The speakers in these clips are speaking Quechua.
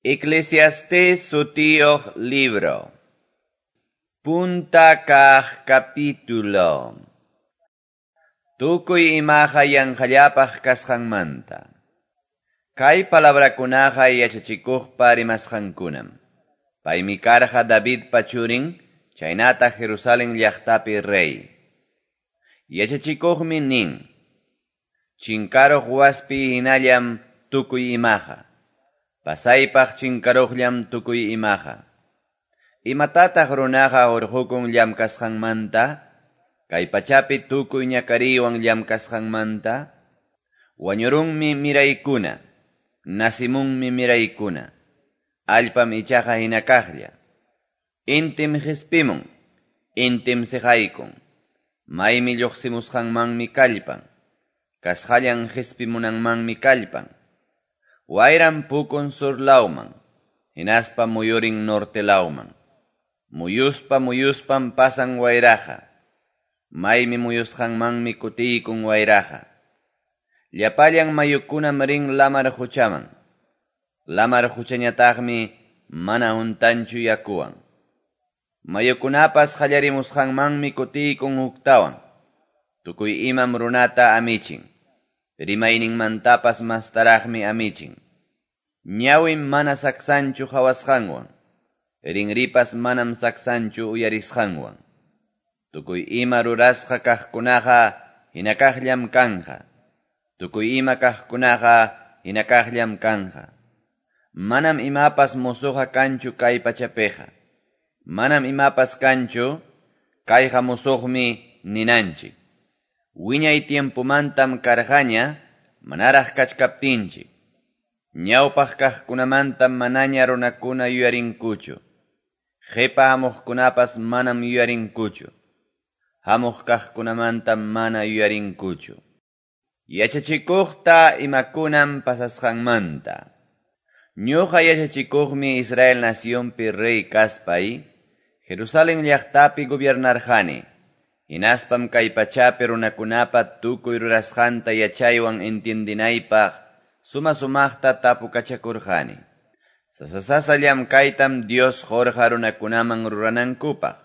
Eclesiastés sutiyuq libro. Punta kaq capítulo. Tukuy imaqa yanqallapaq kasqanmanta. Kay palabrakunaqa yachachikuqpa rimasqankunam. Paymi karqa Davidpa churin, chaynataq Jerusalén llaqtapi rey. Yachachikuqmi nin: Chinkaruq waspi hinallam tukuy imaqa. Pasaypaq chinkaruqllam tukuy imaqa. Imatataq runaqa hurqukun llamkasqanmanta? Kay pachapi tukuy ñakariywan llamkasqanmanta? Wañurunmi miraykuna, nasimunmi miraykuna. Allpam ichaqa hina kaqlla. Intim qispimun, intim siqaykun. Maymi lluqsimusqanmanmi kallpan. Kasqallan qispimunanmanmi kallpan. Wayram pukun sur lawman, hinaspa muyurin norte lawman. Muyuspa muyuspam pasan wayraqa. Maymi muyusqanmanmi kutiykun wayraqa. Llapallan mayukunam rin lamar quchaman. Lamar quchañataqmi mana huntanchu yakuwan. Mayukunapas qallarimusqanmanmi kutiykun huktawan. Tukuy imam runata amichin. Rimayninmantapas mastaraqmi amichin. Ñawim mana saksanchu qhawasqanwan. Rinripas manam saksanchu uyarisqanwan. Tukuy ima rurasqa kaqkunaqa hinakaqllam kanqa. Tukuy ima kaqkunaqa hinakaqllam kanqa. Manam imapas musuqa kanchu kay pachapiqa. Manam imapas kanchu, kayqa musuqmi ninanchik. Wiñay tiempomantam karqaña, manaraq kachkaptinchik. Ñawpaq kaqkunamantam manaña runakuna yuyarinkuchu. Qipa hamuqkunapas manam yuyarinkuchu. Hamuq kaqkunamantam mana yuyarinkuchu. Yachachikuqta imakunam pasasqanmanta. Ñuqa yachachikuqmi Israel nacionpi rey kaspay, Jerusalén llaqtapi gobiernarqani. Hinaspam kay pachapi runakunapa tukuy rurasqanta yachaywan entiendinaypaq suma-sumaqta tapukachakurqani. Sasa-sasa llamkaytam Dios qurqa runakunaman ruranankupaq.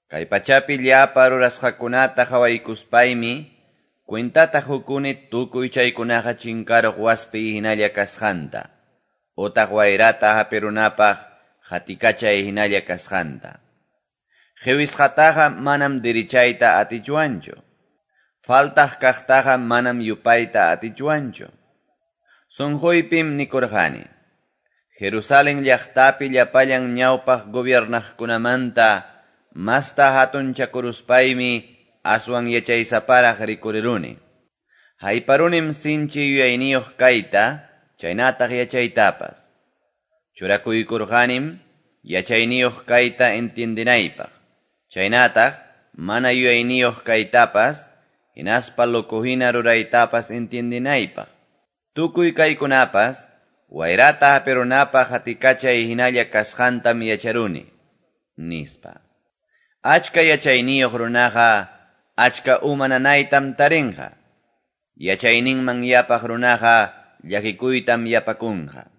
Kay pachapi llapa rurasqakunata qhawaykuspaymi cuentata hukuni tukuy chaykunaqa chinkaruq waspi hinalla kasqanta, utaq wayrata hapirunapaq qatikachay hinalla kasqanta. Qiwisqataqa manam dirichayta atichwanchu. Faltaq kaqtaqa manam yupayta atichwanchu. Sunquypim nikurqani. Jerusalén llaqtapi llapallan ñawpaq gobiernaqkunamanta masta hatunchakuruspaymi aswan yachaysaparaq rikuriruni. Hayparunim sinchi yuyayniyuq kayta, chaynataq yachaytapas. Churakuykurqanim yachayniyuq kayta entiendinaypaq. Chaynataq mana yuyayniyuq kaytapas, hinaspa loco hina ruraytapas entiendinaypaq. Tukuy kaykunapas, wayrata hapirunapaq qatikachay hinalla kasqantam yacharuni, nispa. Achka yachayniyuq runaqa achka uma nanaytam tarinqa. Yachayninman yapaq runaqa llakikuytam yapakunqa.